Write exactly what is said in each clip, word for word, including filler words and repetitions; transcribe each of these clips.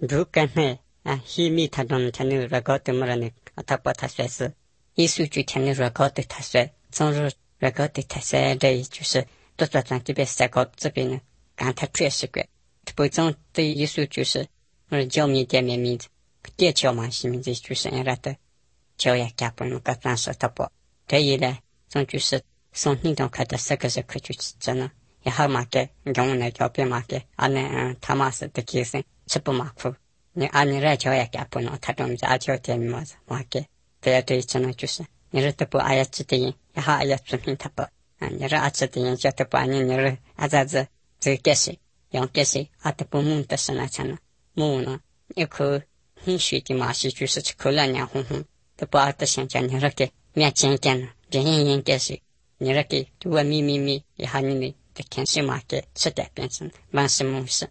두간에 아 힘이 타던 타는 라고트 말하는 아타파 타스스 이수주 타는 라고트 타스 정로 라고트 타스 데 주스都在咱这边赛高这边呢，刚才确实个，不种的艺术就是我教面店面名字，店教嘛是名字就是人家的教也干不能个咱说他不，这一呢，种就是从你都看到这个是可就是真的，也好嘛个，用来教别嘛个，啊那他妈是的其实是不马虎，你啊你来教也干不能，他种啊教店嘛子嘛个，这对真的就是，你这不哎呀指的，也好哎呀指明他不。你说啊，这点叫他把你你说啊，咋子这个些用这些啊，都不蒙的是那钱呢？蒙呢，一口很水的嘛是就是吃口了娘红红，都不啊的想叫你说给面见见呢，别人人这些，你说给我咪咪咪，以后你们的看什么给吃的变成万事蒙事，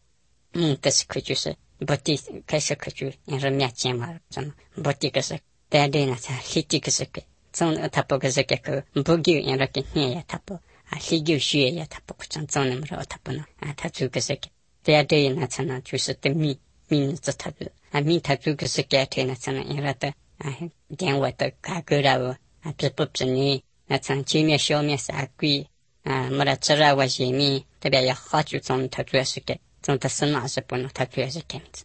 蒙的是可就是不的开始可就你说面见嘛，怎么不的个是带的呢？才立的个是给。从他不个是个个不给人家给你也他不啊，谁就学也他不从从那么说他不能啊，他做个是个，第二对那才能就是对米米子他的啊米他做个是个对那才能因为的啊电话的卡个了啊，别不别你那从前面小面啥贵啊，没得吃了我些米，特别也好就从他做是个，从他身上是不能他做是个子。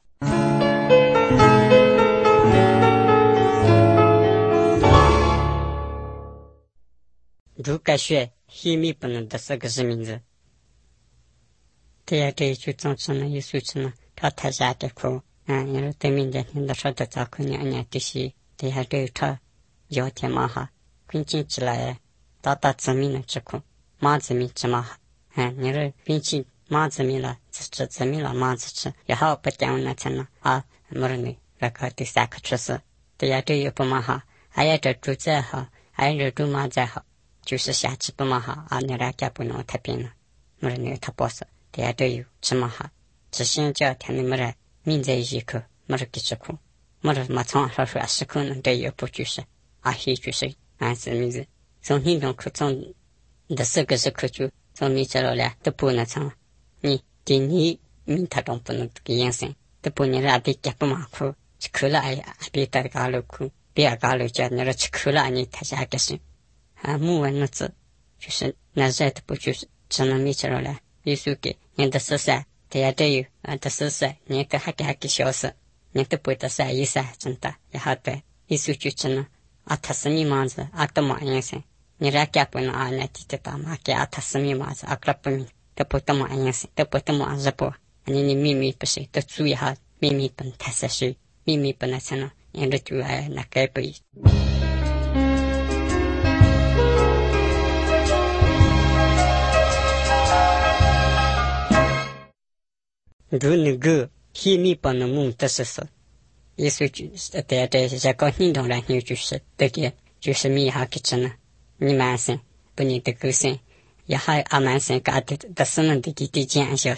如果学秘密不能的这个是名字，第二这一句总之呢，艺术之呢，他太下的苦，嗯，因为对面的人的说的早可娘娘的是，第二这一他要天嘛哈，关键起来，大大自命的之苦，马自命之嘛哈，嗯，你说关键马自命了，自知自命了马自知，也好不讲那才能啊，没人呢，那个第三个出事，第二这一不嘛哈，还有这主宰好，还有这主马宰好。就是下次不嘛哈啊，你来家不能太平了，没人那他不是，大家都有吃嘛哈，只想叫他们没人民在一口，没人给吃苦，没人嘛从少说是可能都有不就是啊，些就是俺是名字，从运动课从的四个是课就从你这了来都不能从你给你民他都不能给养生，都不能让别家不嘛苦，吃苦了哎呀，别得搞了苦，别搞了叫你说吃苦了你他下个是。啊，木文的字就是那在的不就是只能没吃了来，艺术给人的十三，大家都有啊，的十三，人家还给还给小事，人都不得三一三真的，也好的艺术就只能啊，他是你忙子啊，都忙人生，你来干不能啊，那记得打嘛，给啊，他是你忙子啊，个不明，都不得忙人生，都不得忙日不，你你秘密不是，都注意哈，秘密不能太实事，秘密不能才能，人家就爱那改不一。如那个秘密不能蒙的是说，也是就是在在在搞运动了，你就是这个就是米哈给吃呢，你满身不你的狗身，也还阿满身搞的的是能的给的减少，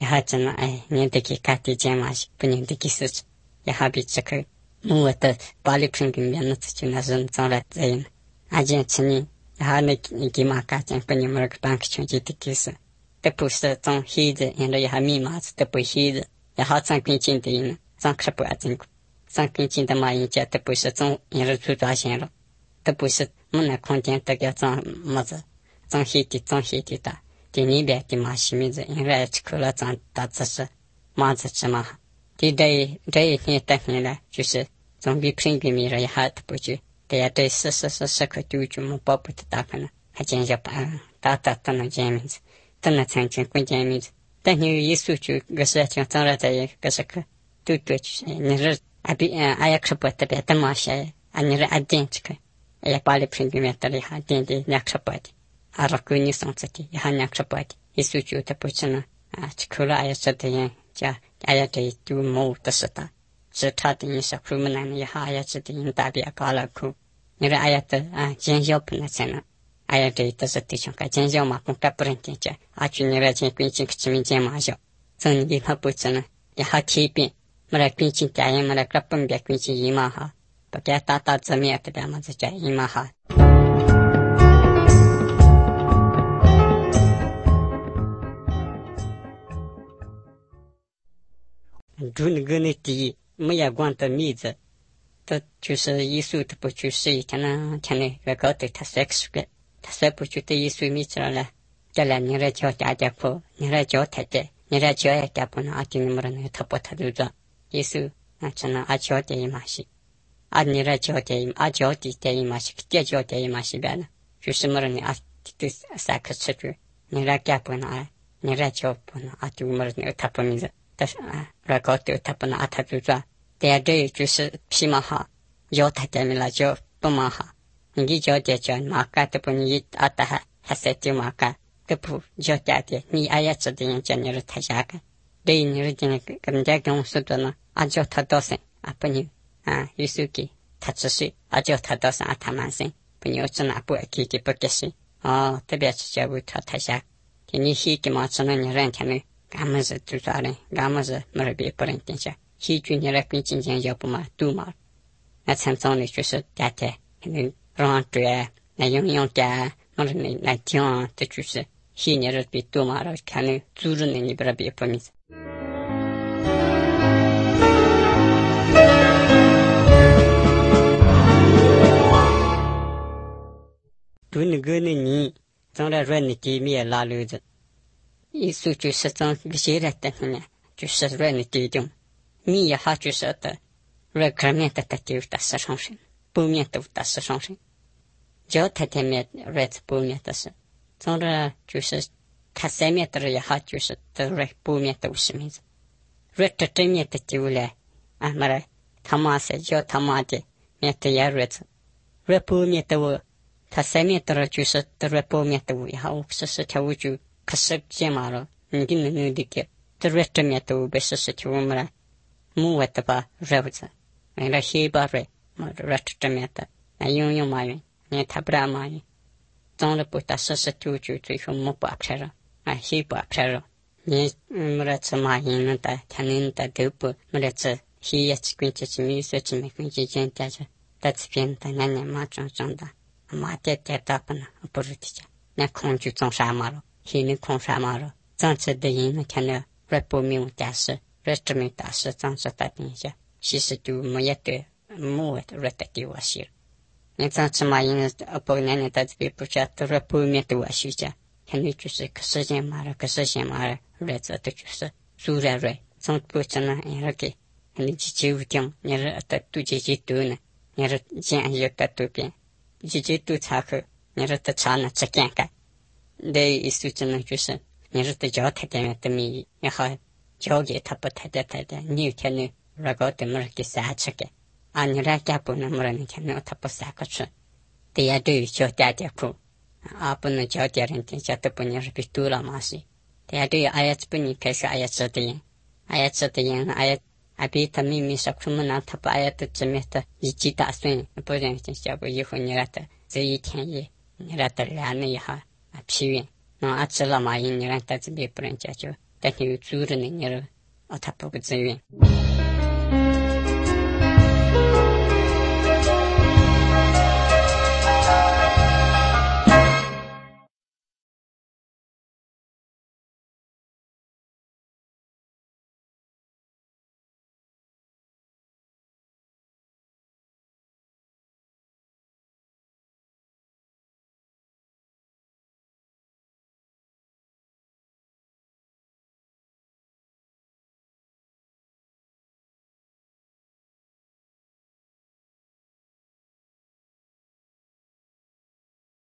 也还真的哎，你得给搞的减嘛些，不你的给事情，也还比这个我的巴黎平平面的自己那人找来这样，阿健吃你，也还那你给嘛搞减，不你们那个bank穷极的给事。这不是种黑子，人家也还密码子，这不黑子，也好种跟进的人，种可不要真个，种跟进的嘛，人家这不是种人家做抓线了，这不是我那空间这个种么子，种黑的种黑的的，第二边的嘛是名字，人家吃苦了种大只是麻子吃嘛，第这这一天等下来就是总比平平米了也还不就，大家对四十四十可丢就么宝贝的大可能，还真要办大大都能见名字。真的曾经关键名字，但你一说就个事情，当然在一个时刻都对就是，你说啊比嗯啊也可不特别的嘛些，啊你说啊点这个，也把你平均面的里哈点的两可不的，啊如果你上这的，也还两可不的，一说就的不成了啊，吃苦了也是的人家，也得就没的是的，是他的人是苦么难也还也是的人大别搞了苦，你说哎呀的啊减少不能成了。哎呀，这都是对象，个减少嘛，公家不能减价，啊，去年来减关键吃面减嘛少，从你他不知呢，也好体变，没来关键家人没来个分别关键一嘛哈，不给打打字面的边嘛子家一嘛哈。主那个那第没有光的米子，这就是耶稣的不就是以前呢，前呢个搞的他三十个，他三不觉得耶稣米子了，这来你来教大家苦，你来教太太，你来教一家不能阿弟你们那他不他都做，耶稣啊真的阿教的一码事，阿你来教的阿教的的一码事，这教的一码事别呢，就是么人阿这三个吃住，你来家不能啊，你来教不能阿弟我们那他不名字。但是啊，来搞对他不能啊，他就做。第二对就是皮毛好，要他点名了就不毛好。你叫点叫马干都不你啊的还还是就马干都不叫点点，你哎呀知道人家你是太下个，对你是今天跟人家跟我说的呢，啊叫他多生啊不你啊有时给他只是啊叫他多生啊他满生，不你只拿不给给不给生哦，特别是叫为他太下，你去给嘛只能你人天呢。俺们是做啥呢？俺们是没别不能定下，西军你来跟今天要不嘛都嘛，那常常的就是大家可能让对，那用用的，或者那那讲，这就是西年的比都嘛了，可能组织呢你不别不明白。对那个呢你，从来说你地面拉溜子。耶稣就是从个些来的呢，就是说你地中，你也好就是的，说可面的的就打死上身，不面都打死上身，脚太太面说是不面的是，从这就是他三面的也好就是的说不面都是面子，说这正面的就来啊么来，他妈是叫他妈的面的也说是，说不面的我，他三面的就是的说不面的我也好，是是条我就。可是这嘛了，你跟那那的个，这热这面都被事实就我们来，木外的吧热子，为了黑吧热，嘛热这面的，那用用嘛用，你他不然嘛用，总了不打事实就就最后木不拍了，啊黑不拍了，你嗯么来吃嘛用那的，他那的都不么来吃，黑也吃关键是没说吃没关键简单着，但这边的那年嘛长长的，嘛点点大不呢，不是的家，那空就种啥嘛了。现在空啥嘛了？长子的人呢，看到说不明大事，说这么大事，长子打定下，其实就没也得，没得说得给我写了。你长子嘛，因为不年年到这边不家，都说不面对我学家，看你就是可时间嘛了，可时间嘛了，日子都就是做来来，从不真呢，你那个，你去九点，你是得多几几多呢？你是这样有得多变，几几多差去，你是得差呢，只干干。的意思真的就是，你是得教太太的米，然后教给他不太太太太，你有天呢，如果对么给三吃个，啊，你来家不能么人天呢，他不三个吃，对呀，对教爹爹苦，啊，不能教别人天下都不能是被多了嘛是，对呀，对呀，哎呀，这不你开始哎呀吃的人，哎呀吃的人，哎呀，啊，比他妹妹说什么呢？他把哎呀的这面的一记打算，不然天下不以后你来的这一天也，你来的两年以后。批评，那阿吃了嘛？因你让他这边不能解决，但是有组织呢，你了，啊，他不会自愿。